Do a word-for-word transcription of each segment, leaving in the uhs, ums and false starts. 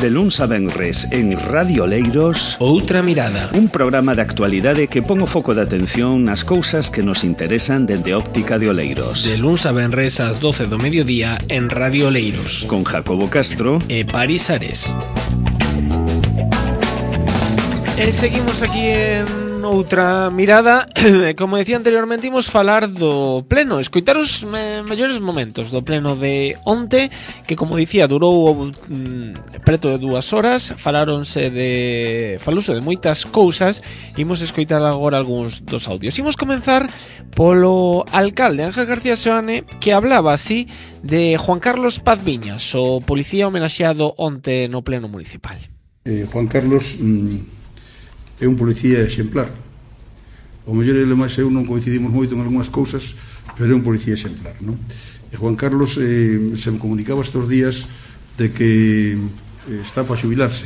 De luns a venres en Radio Oleiros, Outra Mirada, un programa de actualidade que pon o foco de atención nas cousas que nos interesan dende óptica de Oleiros. De luns a venres ás doce do mediodía en Radio Oleiros, con Jacobo Castro e Paris Ares. E seguimos aquí en Outra Mirada. Como decía anteriormente, imos falar do pleno, escoitar os me mellores momentos do pleno de onte, que como dicía durou mm, preto de dúas horas. Falaronse de falouse de moitas cousas. Imos escoitar agora algúns dos audios. Imos comenzar polo alcalde Ángel García Seoane, que hablaba así de Juan Carlos Paz Viñas, o policía homenaxeado onte no pleno municipal. eh, Juan Carlos mm, é un policía exemplar. O mellor ele máis eu non coincidimos moito en algunhas cousas, pero é un policía exemplar, non? E Juan Carlos eh, se me comunicaba estes días de que eh, está para xubilarse.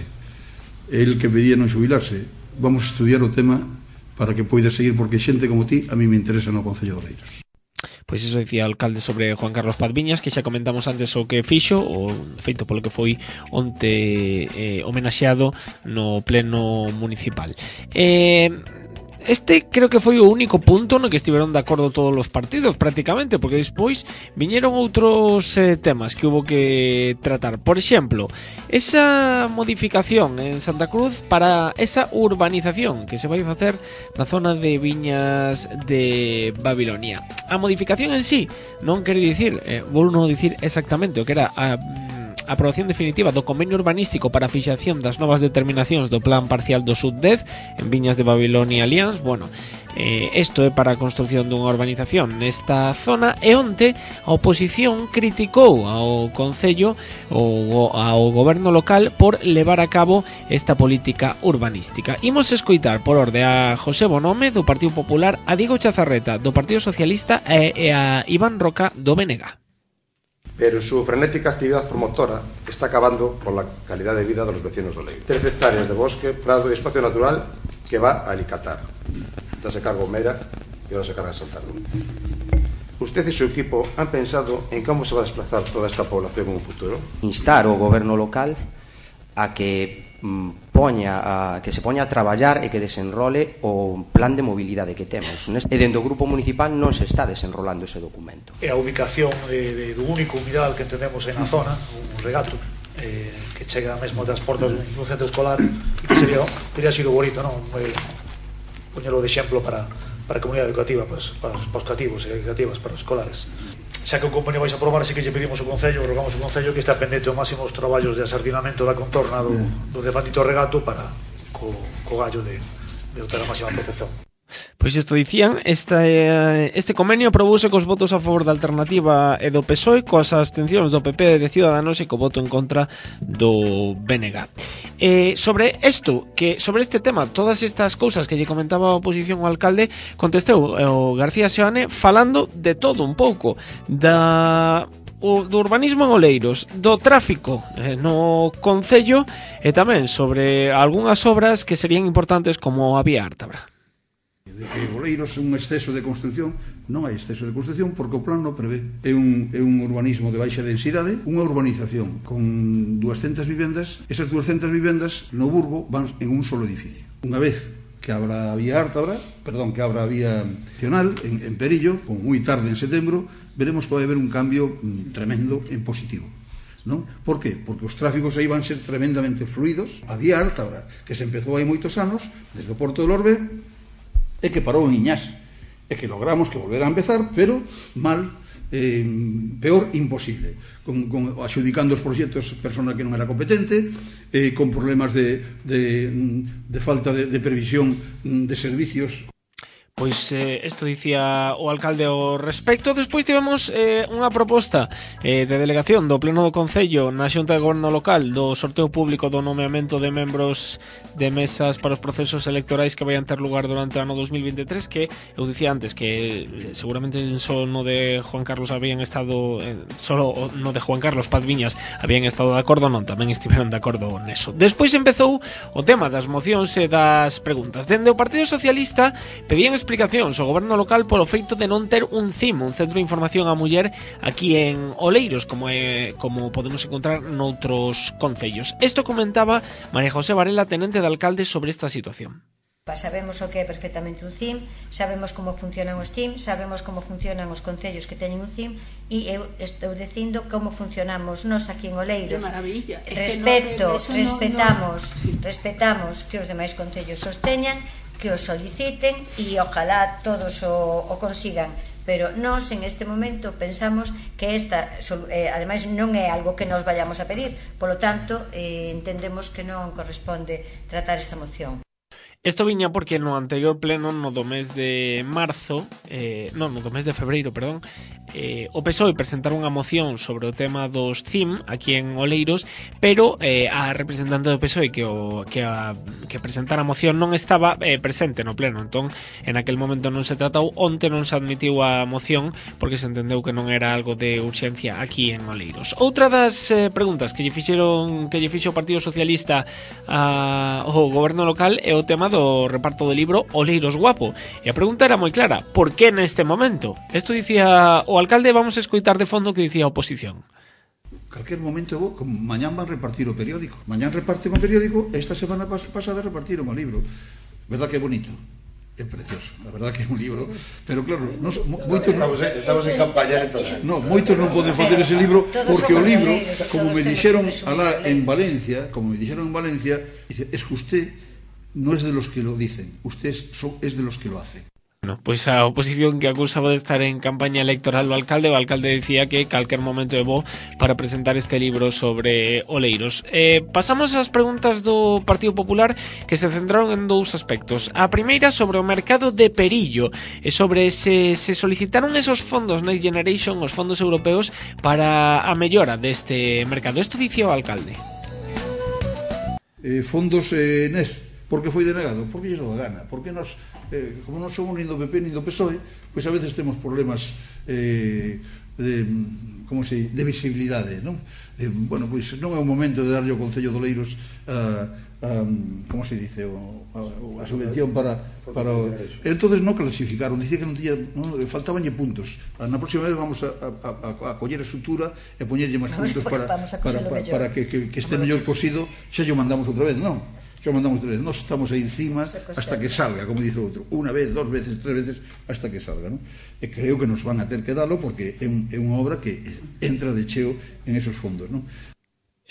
El que pedía non xubilarse. Vamos a estudiar o tema para que poida seguir, porque xente como ti a mí me interesa no Concello de Oleiros. Pois iso dicía o alcalde sobre Juan Carlos Paz Viñas, que xa comentamos antes o que fixo, o feito polo que foi onte eh, homenaxeado no pleno municipal. Eh... Este creo que foi o único punto no que estiveron de acordo todos os partidos prácticamente, porque despois viñeron outros eh, temas que hubo que tratar. Por exemplo, esa modificación en Santa Cruz para esa urbanización que se vai facer na zona de Viñas de Babilonia. A modificación en sí non quere dicir, eh, vou non dicir exactamente o que era a a aprobación definitiva do convenio urbanístico para a fixación das novas determinacións do plan parcial do Sud dez en Viñas de Babilonia Alianz. Bueno, eh, isto é para a construción dunha urbanización nesta zona, e onte a oposición criticou ao Concello ou ao goberno local por levar a cabo esta política urbanística. Imos escoitar por orde a José Bonome do Partido Popular, a Diego Chazarreta do Partido Socialista e a Iván Roca do B N G. Pero su frenética actividad promotora está acabando con la calidad de vida de los vecinos de Oleiros. Trece hectáreas de bosque, prado y espacio natural que va a alicatar. Ya se cargó Mera y ahora se carga Santana. ¿Usted y su equipo han pensado en cómo se va a desplazar toda esta población en un futuro? Instar ao goberno local a que mm, poña a, que se poña a traballar e que desenrole o plan de mobilidade que temos. E dentro do grupo municipal non se está desenrolando ese documento. É a ubicación de, de, do único humidal que entendemos na zona, un regato, eh, que chega mesmo das portas dun centro escolar, e que sería, teria sido bonito, non? Eh, poñelo de exemplo para, para a comunidade educativa, pues, para, os, para os cativos e educativas, para os escolares. Xa que o convenio vais a aprobar, así que lle pedimos ao Concello, rogamos ao Concello que está pendente o máximo os traballos de asardinamento da contorna do, do debandito regato para co, co gallo de, de obter a máxima protección. Pois isto dicían, esta, este convenio aprobouse cos votos a favor da Alternativa e do P S O E, coas abstencións do P P e de Ciudadanos e co voto en contra do B N G. Eh, sobre isto, que sobre este tema, todas estas cousas que lle comentaba a oposición ao alcalde, contestou o García Seoane falando de todo un pouco, da o do urbanismo en Oleiros, do tráfico eh, no Concello, e tamén sobre algunhas obras que serían importantes como a Vía Ártabra. De que Oleiros é un exceso de construción. Non hai exceso de construción porque o plan non prevé. É un, é un urbanismo de baixa densidade, unha urbanización con duascentas vivendas. Esas duascentas vivendas no Burgo van en un solo edificio. Unha vez que abra a Vía Ártabra, perdón, que abra a Vía Nacional en, en Perillo, como moi tarde en setembro, veremos que vai haber un cambio mm, tremendo en positivo. ¿No? Por qué? Porque os tráficos aí van ser tremendamente fluidos. A Vía Ártabra, que se empezou hai moitos anos, desde o Porto del Orbe, e que parou en Iñás, e que logramos que volver a empezar, pero mal, eh, peor imposible, con, con, axudicando os proxectos persona que non era competente, eh, con problemas de, de, de falta de, de previsión de servicios. Pois eh, isto dicía o alcalde ao respecto. Despois tivemos eh, unha proposta eh, de delegación do Pleno do Concello na Xunta de Goberno Local do sorteo público do nomeamento de membros de mesas para os procesos electorais que vayan ter lugar durante o ano dos mil veintitrés, que eu dicía antes que seguramente só no de Juan Carlos habían estado eh, solo no de Juan Carlos Paz Viñas habían estado de acordo, non, tamén estiveron de acordo neso. Despois empezou o tema das mocións e das preguntas. Dende o Partido Socialista pedían explicacións o goberno local polo feito de non ter un C I M, un Centro de Información á Muller, aquí en Oleiros, como é, como podemos encontrar noutros concellos. Isto comentaba María José Varela, tenente de alcalde, sobre esta situación. Sabemos o que é perfectamente un C I M, sabemos como funcionan os C I M, sabemos como funcionan os concellos que teñen un C I M, e eu estou dicindo como funcionamos nós aquí en Oleiros. Que maravilla. Respecto, respetamos, respetamos que os demais concellos os teñan, que os soliciten e ojalá todos o, o consigan. Pero nós en este momento pensamos que esta, eh, ademais non é algo que nos vayamos a pedir, polo tanto eh, entendemos que non corresponde tratar esta moción. Isto viña porque no anterior pleno, no do mes de marzo, eh, non, no do mes de febreiro, perdón, eh, o P S O E presentaron unha moción sobre o tema dos C I M aquí en Oleiros, pero eh, a representante do P S O E que, o, que, a, que presentara a moción non estaba eh, presente no pleno, entón en aquel momento non se tratou, onte non se admitiu a moción porque se entendeu que non era algo de urxencia aquí en Oleiros. Outra das eh, preguntas que lle fixeron que lle fixo o Partido Socialista a, ao goberno local é o tema do reparto do libro Oleiros Guapo. E a pregunta era moi clara: por que neste momento? Isto dicía o alcalde, vamos a escoitar de fondo o que dicía a oposición. Calquer momento, como mañán van repartir o periódico. Mañán reparten o periódico, esta semana pas pasada repartiron o libro. Verdad que é bonito? É precioso, a verdad que é un libro, pero claro, nos, moitos estamos, non, estamos en campaña entonces. No, moitos non poden facer ese libro porque o libro, como me dixeron alá en Valencia, como me dixeron en Valencia, dice, es que usted no es de los que lo dicen, usted es, es de los que lo hacen. Bueno, pois a oposición que acusaba de estar en campaña electoral o alcalde, o alcalde decía que calquer momento é bo para presentar este libro sobre Oleiros. Eh, pasamos ás preguntas do Partido Popular, que se centraron en dous aspectos. A primeira sobre o mercado de Perillo e sobre se, se solicitaron esos fondos Next Generation, os fondos europeos, para a mellora deste mercado. Isto dicía o alcalde. Eh, fondos eh, N E S. Por que foi denegado? Porque lle dou a gana. Porque nos, eh, como non somos nin do P P nin do P S O E, pois a veces temos problemas eh, de, como se, de visibilidade, non? Eh, bueno, pois non é o momento de darlle ao Concello de Oleiros a, a, como se dice, o, a, a subvención para, para o... Entonces non clasificaron, dicía que non tiña, non, faltabanlle puntos. Na próxima vez vamos a, a, a, a coller a estrutura e poñerlle máis puntos para, para, para, para que, que, que este mellor cosido, xa lle mandamos outra vez, non? Xa mandamos outra vez, nós estamos aí encima hasta que salga, como dice outro, unha vez, dos veces, tres veces, hasta que salga, non? E creo que nos van a ter que dalo porque é, un, é unha obra que entra de cheo en esos fondos, non?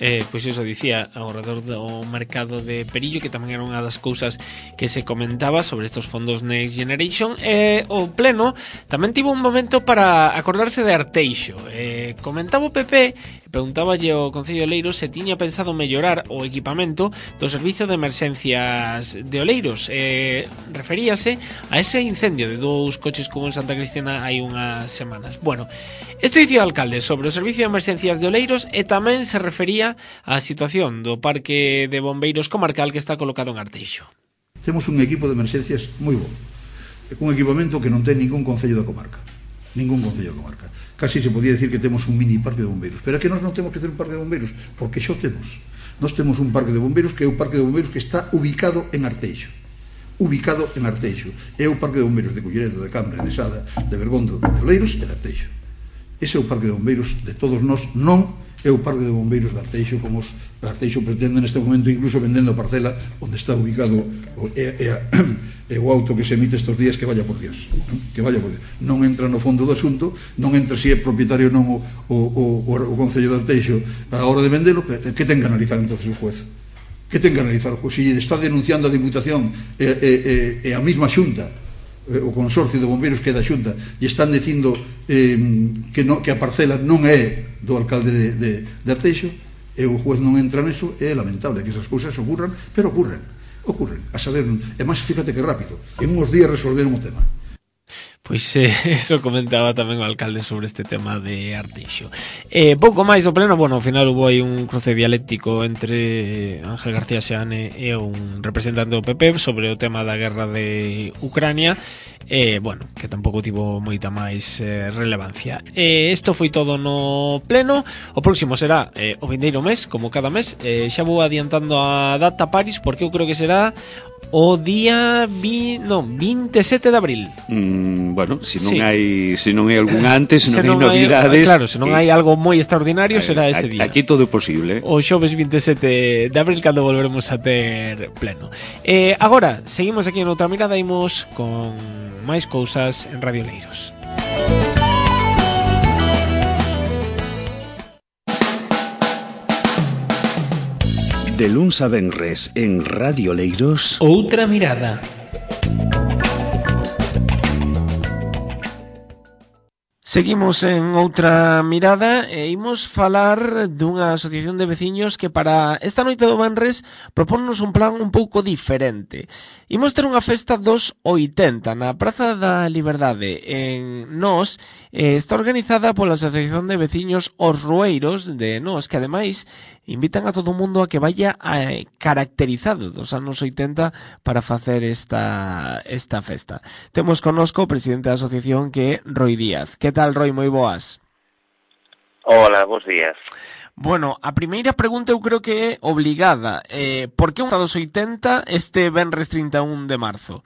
Eh, pois iso dicía ao redor do mercado de Perillo, que tamén era unha das cousas que se comentaba sobre estos fondos Next Generation. E eh, o pleno tamén tivo un momento para acordarse de Arteixo. Eh, comentaba o P P, preguntáballe ao Concello de Oleiros se tiña pensado mellorar o equipamento do servicio de emerxencias de Oleiros. Eh, referíase a ese incendio de dous coches como en Santa Cristina hai unhas semanas. Bueno, isto dicía o alcalde sobre o servicio de emerxencias de Oleiros e tamén se refería a situación do parque de bombeiros comarcal que está colocado en Arteixo. Temos un equipo de emerxencias moi bo, un equipamento que non ten ningún concello da comarca, ningún concello da comarca. Casi se podía decir que temos un mini parque de bombeiros, pero é que nós non temos que ter un parque de bombeiros, porque xo temos. Nós temos un parque de bombeiros que é o parque de bombeiros que está ubicado en Arteixo. Ubicado en Arteixo. É o parque de bombeiros de Culleredo, de Cambre, de Sada, de Bergondo, de Oleiros e de Arteixo. Ese é o parque de bombeiros de todos nós, non é o parque de bombeiros de Arteixo, como os de Arteixo pretende neste momento, incluso vendendo a parcela onde está ubicado o, é, é, é o auto que se emite estes días, que vaya por Dios, non? Que vaya por Dios. Non entra no fondo do asunto, non entra se é propietario non o, o, o, o Concello de Arteixo a hora de vendelo. Que ten que analizar entonces o juez? Que ten que analizar o juez? Se está denunciando a Diputación e, e, e a mesma xunta, o consorcio de bombeiros que é da xunta, e están dicindo eh, que, no, que a parcela non é do alcalde de, de, de Arteixo, e o juez non entra neso, é lamentable que esas cousas ocurran, pero ocurren, ocurren, a saber, e máis, fíjate que rápido, en uns días resolveron o tema. Pois eh, eso comentaba tamén o alcalde sobre este tema de Arteixo. Eh, pouco máis do pleno, bueno, ao final hubo aí un cruce dialéctico entre Ángel García Seane e un representante do P P sobre o tema da guerra de Ucrania, eh, bueno, que tampouco tivo moita máis eh, relevancia. Eh, isto foi todo no pleno. O próximo será eh, o vindeiro mes, como cada mes. Eh, xa vou adiantando a data, Paris, porque eu creo que será o día vi, non, vinte e sete de abril. Mm, bueno, se non Sí. hai se non hai algún antes, se non, Se hai novidades. Claro, se non hai eh, algo moi extraordinario, será ese día. Aquí todo é posible. O xoves vinte e sete de abril, cando volveremos a ter pleno. Eh, agora, seguimos aquí en outra mirada, imos con máis cousas en Radio Leiros. De luns a venres en Radio Leiros. Outra mirada. Seguimos en outra mirada e imos falar dunha asociación de veciños que para esta noite do venres propónnos un plan un pouco diferente. Imos ter unha festa dos oitenta na Praza da Liberdade en Nós. Eh, está organizada pola Asociación de Veciños Os Rueiros de Nós, que ademais invitan a todo o mundo a que vaya eh, caracterizado dos anos oitenta para facer esta, esta festa. Temos connosco o presidente da asociación, que é Roi Díaz. Que tal, Roi? Moi boas. Hola, bons días. Bueno, a primeira pregunta eu creo que é obligada. Eh, por que un dos oitenta este venres trinta e un de marzo?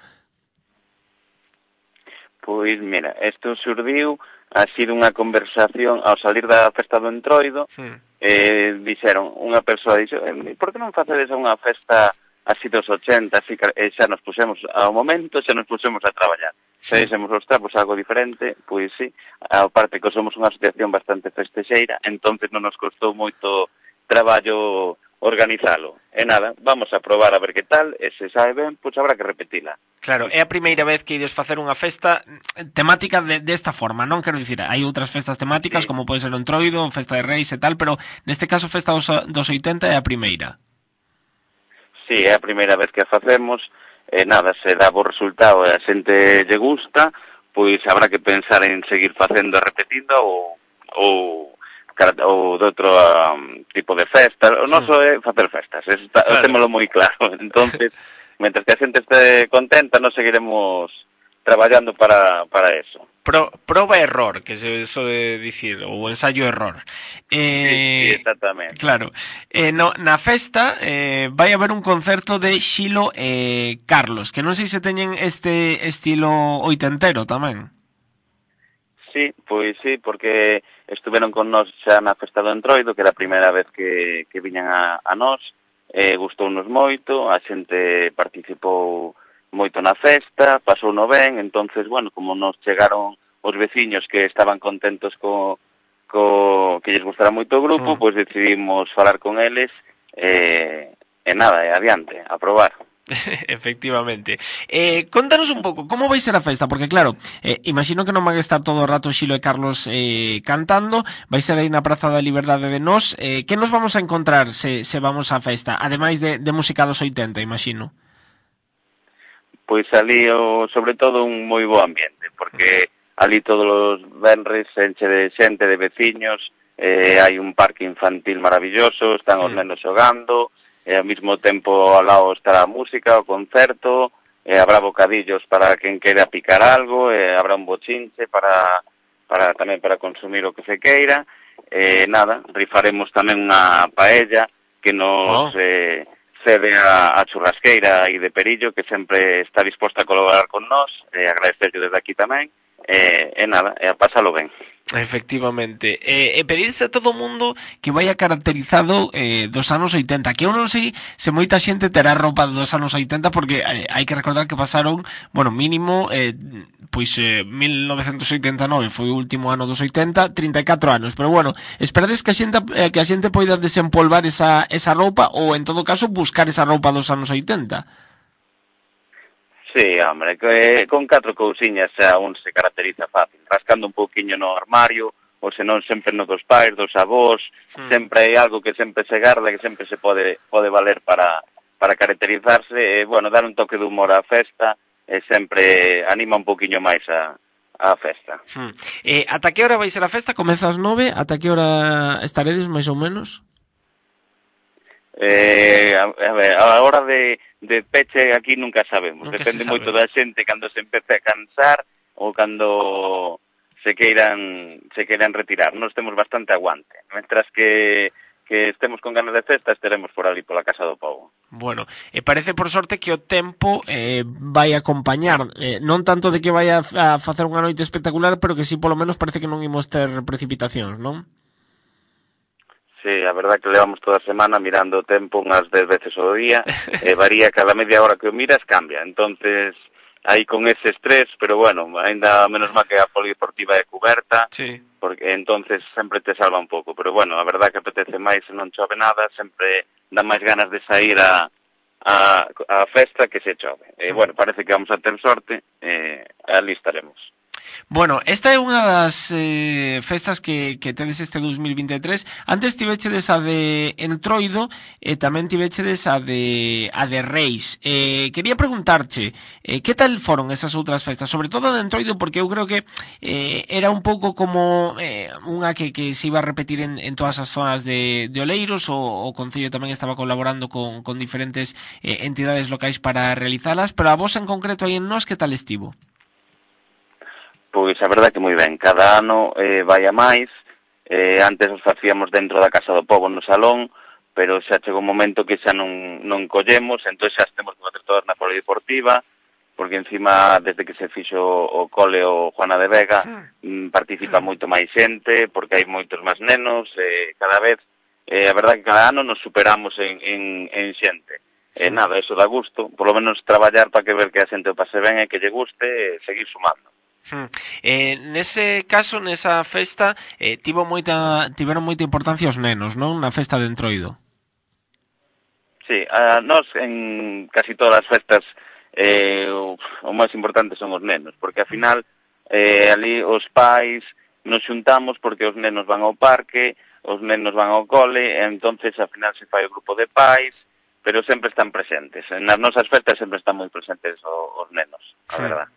Pois, mira, isto surdiu así dunha conversación ao salir da festa do Entroido. Hmm. Eh, dixeron, unha persoa dixo, por que non facedes unha festa así dos ochenta, así que eh, xa nos pusemos ao momento, xa nos pusemos a traballar. Xa dixemos, ostra, pois algo diferente, pois sí, a parte que somos unha asociación bastante festexeira, entonces non nos costou moito traballo organizalo. E nada, vamos a probar a ver que tal, e se sabe ben, pois habrá que repetila. Claro, é a primeira vez que ides facer unha festa temática de, desta forma, non quero dicir, hai outras festas temáticas, sí, como pode ser o Entroido, Festa de Reis e tal, pero neste caso Festa dos, dos oitenta é a primeira. Sí, é a primeira vez que a facemos, e nada, se dá bo resultado e a xente lle gusta, pois habrá que pensar en seguir facendo e repetindo ou, ou, ou de outro um, tipo de festa. O noso é facer festas, está, claro, témolo moi claro. Entonces, mentre que a xente este contenta, nos seguiremos traballando para, para eso. Pro, proba error, que se sode dicir, ou ensayo error. Eh, sí, sí, exactamente. Claro. Eh, no, na festa eh, vai haber un concerto de Xilo e eh, Carlos, que non sei se teñen este estilo oitentero tamén. Sí, pois sí, porque estuveron con nós xa na festa do Entroido, que era a primeira vez que, que viñan a, a nós, eh, gustounos moito, a xente participou moito na festa, pasou no ben, entonces, bueno, como nos chegaron os veciños que estaban contentos co, co que lles gustara moito o grupo, mm. pois decidimos falar con eles, eh, e nada, e adiante, a probar. Efectivamente. Eh, contanos un pouco, como vai ser a festa? Porque claro, eh, imagino que non van a estar todo o rato Xilo e Carlos eh, cantando, vai ser aí na Praza da Liberdade de Nós. Eh, que nos vamos a encontrar se, se vamos á festa? Ademais de, de música dos oitenta, imagino. Pois ali, o, sobre todo, un moi bo ambiente, porque ali todos os venres enche de xente, de veciños, eh, hai un parque infantil maravilloso, están os nenos xogando, e ao mesmo tempo ao lado estará a música, o concerto, e habrá bocadillos para quen queira picar algo, e habrá un bochinche para, para tamén para consumir o que se queira, e nada, rifaremos tamén unha paella que nos... Oh. Eh, cede a, a churrasqueira aí de Perillo, que sempre está disposta a colaborar con nós, e agradecerlle desde aquí tamén, e, e nada, e a pásalo ben. Efectivamente. E, e pedirse a todo o mundo que vaya caracterizado eh, dos anos oitenta, que eu non sei se moita xente terá roupa dos anos oitenta, porque eh, hai que recordar que pasaron, bueno, mínimo, eh, pois eh, mil novecentos oitenta e nove foi o último ano dos oitenta, trinta e catro anos, pero bueno, esperades que a xente, eh, que a xente poida desempolvar esa, esa roupa, ou en todo caso buscar esa roupa dos anos oitenta. Sí, hombre, que con catro cousiñas xa un se caracteriza fácil, rascando un pouquiño no armario, ou senón sempre no dos pais, dos avós, mm. sempre hai algo que sempre se garda, que sempre se pode pode valer para, para caracterizarse, e, bueno, dar un toque de humor á festa, e sempre anima un pouquiño máis a, a festa. Hmm. Eh, ata que hora vai ser a festa? Comeza ás nove, ata que hora estaredes, máis ou menos? Eh, a, a ver, a hora de, de peche aquí nunca sabemos, nunca depende se sabe. moito da xente cando se empece a cansar ou cando se queiran se queiran retirar. Nos temos bastante aguante, mentras que que estemos con ganas de festa, estaremos por ali pola Casa do Pobo. Bueno, e eh, parece por sorte que o tempo eh, vai acompañar, eh, non tanto de que vai a, a facer unha noite espectacular, pero que sí, polo menos parece que non imos ter precipitacións, non? Sí, a verdad que levamos toda a semana mirando o tempo unhas dez veces ao día, e varía cada media hora que o miras, cambia. Entonces, aí con ese estrés, pero bueno, ainda menos mal que a polideportiva é coberta, sí. Porque entonces sempre te salva un pouco, pero bueno, a verdad que apetece máis se non chove nada, sempre dá máis ganas de sair a, a, a festa que se chove. E bueno, parece que vamos a ter sorte, e ali estaremos. Bueno, esta é unha das eh, festas que, que tedes este dos mil vinte e tres. Antes tivechedes a de Entroido e tamén tivechedes a de a de Reis. Eh, quería preguntarche, eh, que tal foron esas outras festas? Sobre todo a de Entroido, porque eu creo que eh, era un pouco como eh, unha que, que se iba a repetir en, en todas as zonas de, de Oleiros. O, o Concello tamén estaba colaborando con, con diferentes eh, entidades locais para realizalas, pero a vos en concreto aí en Nós, que tal estivo? Pois a verdade que moi ben, cada ano eh, vai a máis, eh, antes os facíamos dentro da Casa do Pobo no salón, pero xa chegou un momento que xa non, non collemos, entón xa temos que facer todas na polideportiva, porque encima, desde que se fixo o cole o Juana de Vega, mm, participa moito máis xente, porque hai moitos máis nenos, eh, cada vez, eh, a verdade que cada ano nos superamos en, en, en xente. E eh, nada, eso dá gusto, por lo menos traballar para que ver que a xente o pase ben e que lle guste, e seguir sumando. Hmm. Eh, nese caso, nesa festa, eh, tivo moita, tiveron moita importancia os nenos, non? Na festa de Entroido. Sí, a nós en casi todas as festas eh, o, o máis importante son os nenos, porque ao final eh, ali os pais nos xuntamos porque os nenos van ao parque, os nenos van ao cole, e entonces ao final se fai o grupo de pais, pero sempre están presentes. Nas nosas festas sempre están moi presentes os, os nenos, a Hmm. verdad.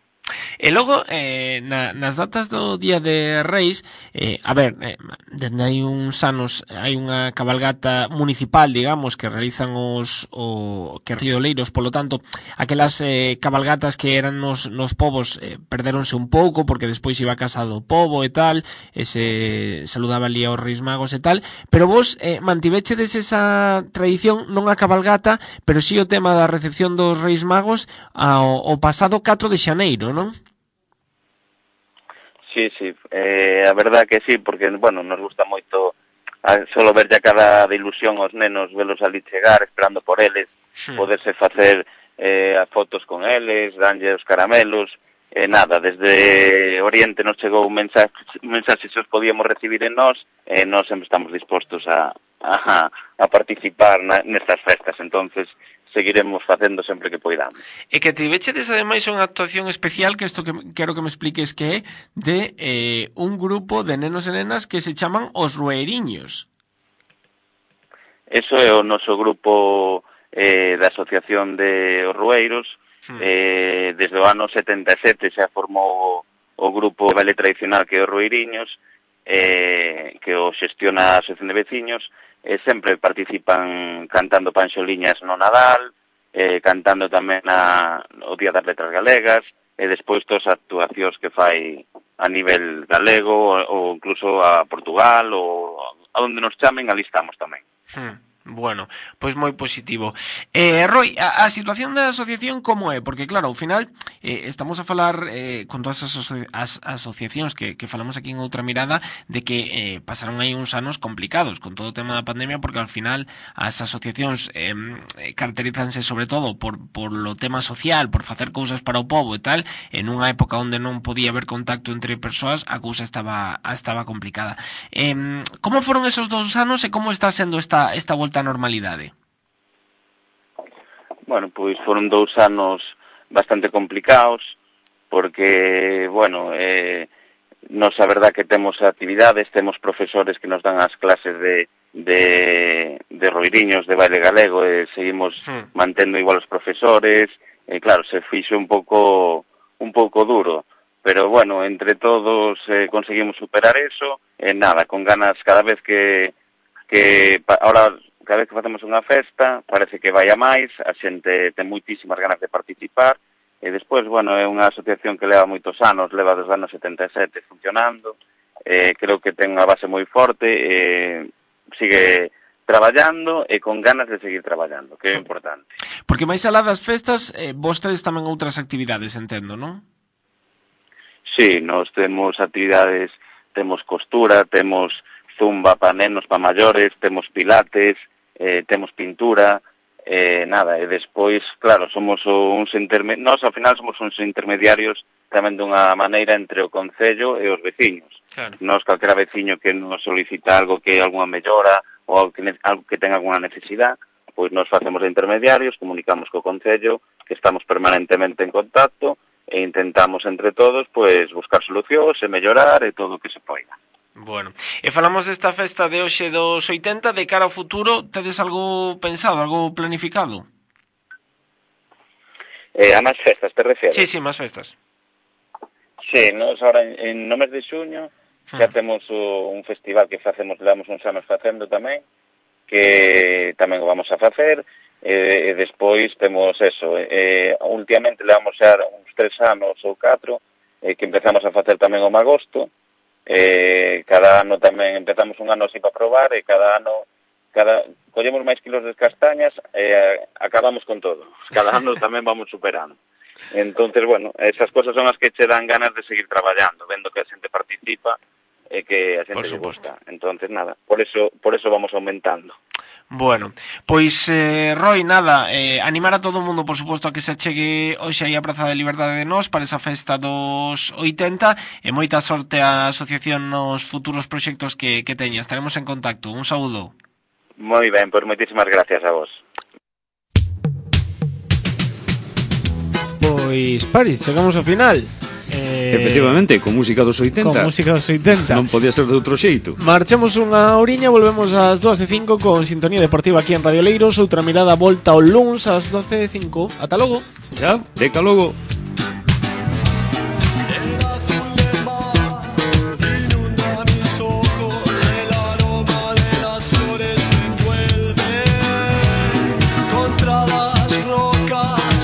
E logo, eh, na, nas datas do Día de Reis, eh, a ver, eh, dende hai uns anos hai unha cabalgata municipal, digamos, que realizan os o, que Río Oleiros, polo tanto, aquelas eh, cabalgatas que eran nos, nos povos eh, perderonse un pouco, porque despois iba a casa do pobo e tal, e se saludaba ali aos Reis Magos e tal, pero vos eh, mantivechedes esa tradición, non a cabalgata, pero si o tema da recepción dos Reis Magos ao, ao pasado catro de xaneiro, non? Sí, sí, eh, a verdad que sí, porque, bueno, nos gusta moito a, solo ver ya cara de ilusión aos nenos, velos ali chegar, esperando por eles, sí. Poderse facer eh, fotos con eles, danlle os caramelos, eh, nada, desde Oriente nos chegou un mensaxe, un mensaxe se os podíamos recibir en nós, e eh, nós sempre estamos dispostos a, a, a participar na, nestas festas, entonces seguiremos facendo sempre que poidamos. E que tivechedes ademais unha actuación especial, que isto que quero que me expliques que é de eh, un grupo de nenos e nenas que se chaman os Rueiriños. Eso é o noso grupo eh, da Asociación de os Rueiros. Hmm. Eh, desde o ano setenta e sete xa formou o grupo de baile tradicional que é os Rueiriños, eh, que o xestiona a Asociación de Veciños. Eh, sempre participan cantando panxoliñas no Nadal, eh, cantando tamén a, o Día das Letras Galegas, e despois todas as actuacións que fai a nivel galego, ou, ou incluso a Portugal, ou a onde nos chamen, ali estamos tamén. Hmm. Bueno, pois moi positivo. Eh, Roi, a, a situación da asociación como é? Porque claro, ao final eh, estamos a falar eh, con todas as, aso as asociacións que, que falamos aquí en Outra Mirada de que eh, pasaron aí uns anos complicados con todo o tema da pandemia, porque ao final as asociacións eh, caracterízanse sobre todo por, por lo tema social, por facer cousas para o pobo e tal, en unha época onde non podía haber contacto entre persoas, a cousa estaba, estaba complicada. Eh, como foron esos dous anos e como está sendo esta, esta volta a normalidade? Bueno, pois foron dous anos bastante complicados, porque, bueno, eh, nos a verdad que temos actividades, temos profesores que nos dan as clases de, de, de Rueiriños, de baile galego, e seguimos hmm. mantendo igual os profesores, e claro, se fixo un pouco un pouco duro, pero bueno, entre todos eh, conseguimos superar eso, e eh, nada, con ganas cada vez que, que pa, ahora, cada vez que facemos unha festa, parece que vai a máis, a xente ten moitísimas ganas de participar, e despois, bueno, é unha asociación que leva moitos anos, leva desde os anos setenta e sete funcionando, eh, creo que ten unha base moi forte, eh, sigue traballando e con ganas de seguir traballando, que é importante. Porque máis alá das festas, eh, vostedes tamén outras actividades, entendo, non? Sí, nos temos actividades, temos costura, temos zumba para nenos, para maiores, temos pilates, eh, temos pintura, eh, nada, e despois, claro, somos uns intermediarios, nós ao final somos uns intermediarios tamén dunha maneira entre o concello e os veciños. Claro. Nós, calquera veciño que nos solicita algo que alguna mellora ou algo que, algo que tenga alguna necesidade, pois nos facemos de intermediarios, comunicamos co concello, que estamos permanentemente en contacto, e intentamos entre todos pois buscar solucións e mellorar e todo o que se poida. Bueno, e falamos desta festa de hoxe dos oitenta, de cara ao futuro, tedes algo pensado, algo planificado? Eh, a máis festas, te refieres? Sí, sí, máis festas. Sí, nos ahora en, en no mes de xuño xa temos o, un festival que facemos, levamos uns anos facendo tamén, que tamén o vamos a facer, e, e despois temos eso, e, últimamente levamos xa uns tres anos ou catro, e, que empezamos a facer tamén o magosto, e, cada ano tamén empezamos un ano así para probar, e cada ano cada collemos máis kilos de castañas e acabamos con todo, cada ano tamén vamos superando. Entonces, bueno, esas cosas son as que che dan ganas de seguir traballando, vendo que a xente participa e que a xente lle gusta. Entonces, nada, por eso por eso vamos aumentando. Bueno, pois, eh, Roi, nada, eh, animar a todo o mundo, por suposto, a que se achegue hoxe aí a Praza de Liberdade de Nós para esa festa dos oitenta, e moita sorte á asociación nos futuros proxectos que, que teña. Estaremos en contacto. Un saúdo. Moi ben, pois moitísimas gracias a vos. Pois, Paris, chegamos ao final. Eh, Efectivamente, con música dos oitenta. Con música dos oitenta. Non podía ser de outro xeito. Marchamos unha oriña, volvemos ás dúas e cinco con Sintonía Deportiva aquí en Radio Leiros. Outra mirada volta ao luns ás doce e cinco. Ata logo. Chao, deca logo. Contra las rocas